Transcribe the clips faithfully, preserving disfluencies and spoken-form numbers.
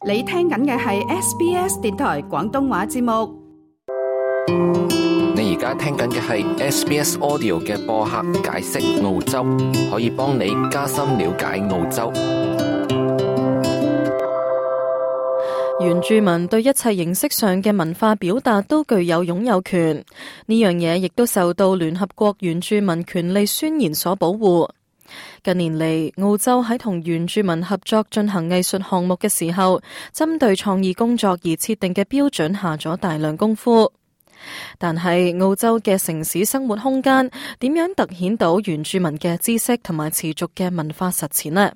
你聽緊嘅係 S B S 電台廣東話節目。你而家聽緊嘅係 S B S Audio 嘅播客解釋澳洲，可以幫你加深了解澳洲。原住民對一切形式上嘅文化表達都具有擁有權，呢樣嘢亦都受到聯合國原住民權利宣言所保護。近年嚟，澳洲喺同原住民合作進行藝術項目嘅時候，針對創意工作而設定嘅標準下咗大量功夫。但係澳洲嘅城市生活空間點樣突顯到原住民嘅知識同埋持續嘅文化實踐呢？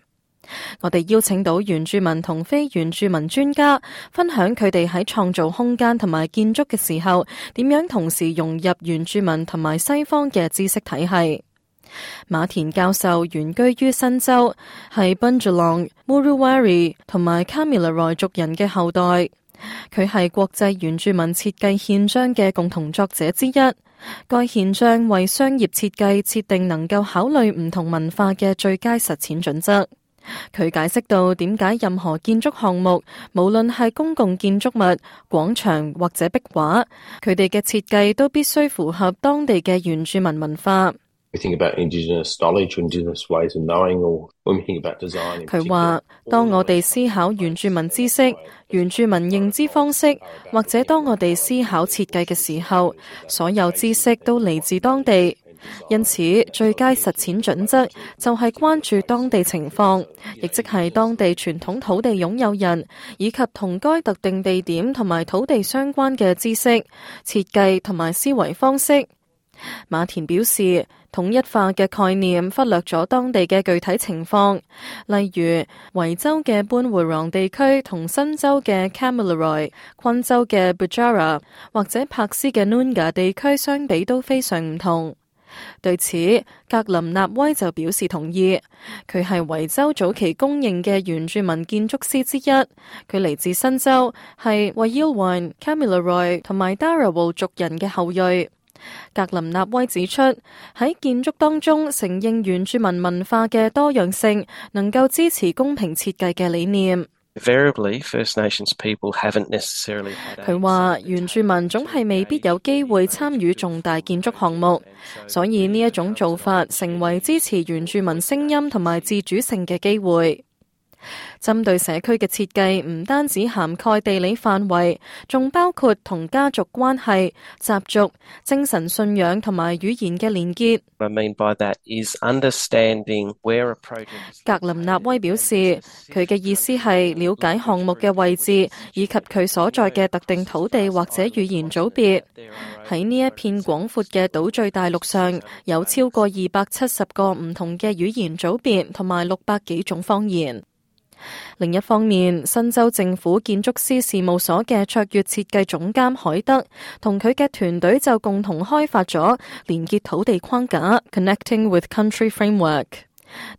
我哋邀請到原住民同非原住民專家，分享佢哋喺創造空間同埋建築嘅時候，點樣同時融入原住民同埋西方嘅知識體系。馬田教授原居於新州，係 Bundjalung、Muruwari 同埋 Kamilaroi 族人嘅後代。佢係國際原住民設計憲章嘅共同作者之一。該憲章為商業設計設定能夠考慮唔同文化嘅最佳實踐準則。佢解釋到點解任何建築項目，無論係公共建築物、廣場或者壁畫，佢哋嘅設計都必須符合當地嘅原住民文化。佢話，當我哋思考原住民知識、原住民認知方式，或者當我哋思考設計嘅時候，所有知識都嚟自當地。因此，最佳實踐準則就係關注當地情況，亦即係當地傳統土地擁有人，以及同該特定地點同埋土地相關嘅知識、設計同埋思維方式。馬田表示，統一化嘅概念忽略咗當地嘅具體情況，例如維州嘅班會朗地區同新州嘅 Kamilaroi、昆州嘅 Bujara 或者柏斯嘅 Noongar 地區相比都非常唔同。對此，格林納威就表示同意。佢係維州早期公認嘅原住民建築師之一。佢嚟自新州，係 Wayilwan、Kamilaroi 同埋 Darawal 族人嘅後裔。格林納威指出，喺建築當中承認原住民文化嘅多樣性，能夠支持公平設計嘅理念。佢話原住民總係未必有機會參與重大建築項目，所以呢一種做法成為支持原住民聲音同埋自主性嘅機會。針對社區嘅設計唔單止涵蓋地理範圍，仲包括同家族關係、習俗、精神信仰同埋語言嘅連結。I mean by that is understanding where a project is... 格林納威表示，佢嘅意思係了解項目嘅位置，以及佢所在嘅特定土地或者語言組別。喺呢一片廣闊嘅島嶼大陸上，有超過二百七十個唔同嘅語言組別，同埋六百幾種方言。另一方面，新州政府建築師事務所嘅卓越設計總監海德同佢嘅團隊就共同開發咗連結土地框架 Connecting with Country Framework。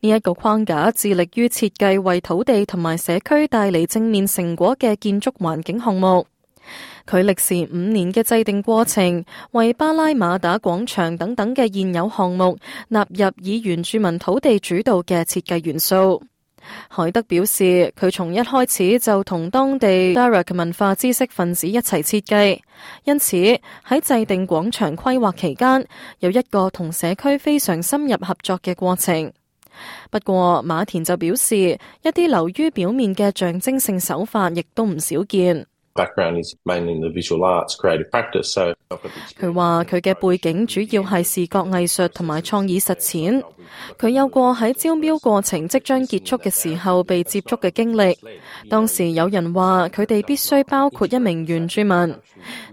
呢一個框架致力於設計為土地同埋社區帶嚟正面成果嘅建築環境項目。佢歷時五年嘅制定過程，為巴拉馬打廣場等等嘅現有項目納入以原住民土地主導嘅設計元素。海德表示，佢從一開始就同當地 Darak 文化知識分子一齊設計，因此喺制定廣場規劃期間，有一個同社區非常深入合作嘅過程。不過馬田就表示，一啲流於表面嘅象徵性手法亦都唔少見。佢話佢嘅背景主要係視覺藝術同埋創意實踐。佢有過喺招標過程即將結束嘅時候被接觸嘅經歷。當時有人話佢哋必須包括一名原住民。呢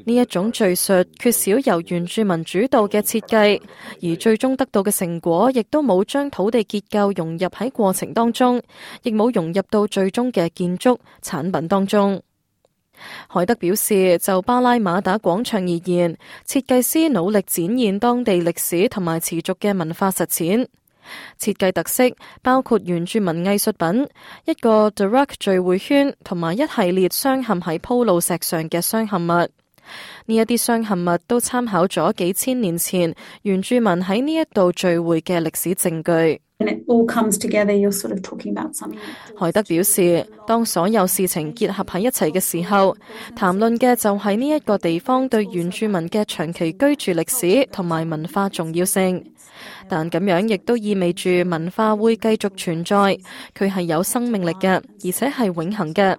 一種敘述缺少由原住民主導嘅設計，而最終得到嘅成果亦都冇將土地結構融入喺過程當中，亦冇融入到最終嘅建築產品當中。海德表示，就巴拉馬打廣場而言，設計師努力展現當地歷史同埋持續嘅文化實踐。設計特色包括原住民藝術品、一個 Darak 聚會圈同埋一系列鑲嵌喺鋪路石上嘅鑲嵌物。呢一啲鑲嵌物都參考咗幾千年前原住民喺呢一度聚會嘅歷史證據。海德表示，當所有事情結合喺一齊嘅時候，談論嘅就係呢一個地方對原住民嘅長期居住歷史同埋文化重要性。但咁樣亦都意味住文化會繼續存在，佢係有生命力嘅，而且係永恆嘅。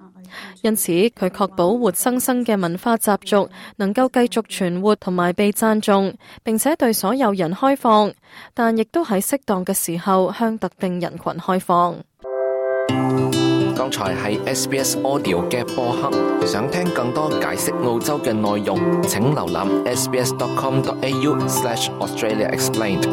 因此，佢確保活生生嘅文化習俗能夠繼續存活同埋被讚頌，並且對所有人開放，但亦都喺適當嘅時候向特定人群開放。剛才係 S B S Audio 嘅播客，想聽更多解釋澳洲嘅內容，請瀏覽 s b s dot com dot a u slash australia explained。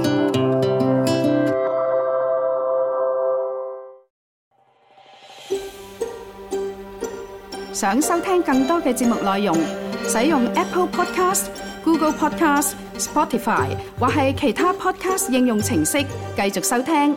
想收聽更多嘅節目內容，使用 Apple Podcast、Google Podcast、Spotify 或係其他 Podcast 應用程式繼續收聽。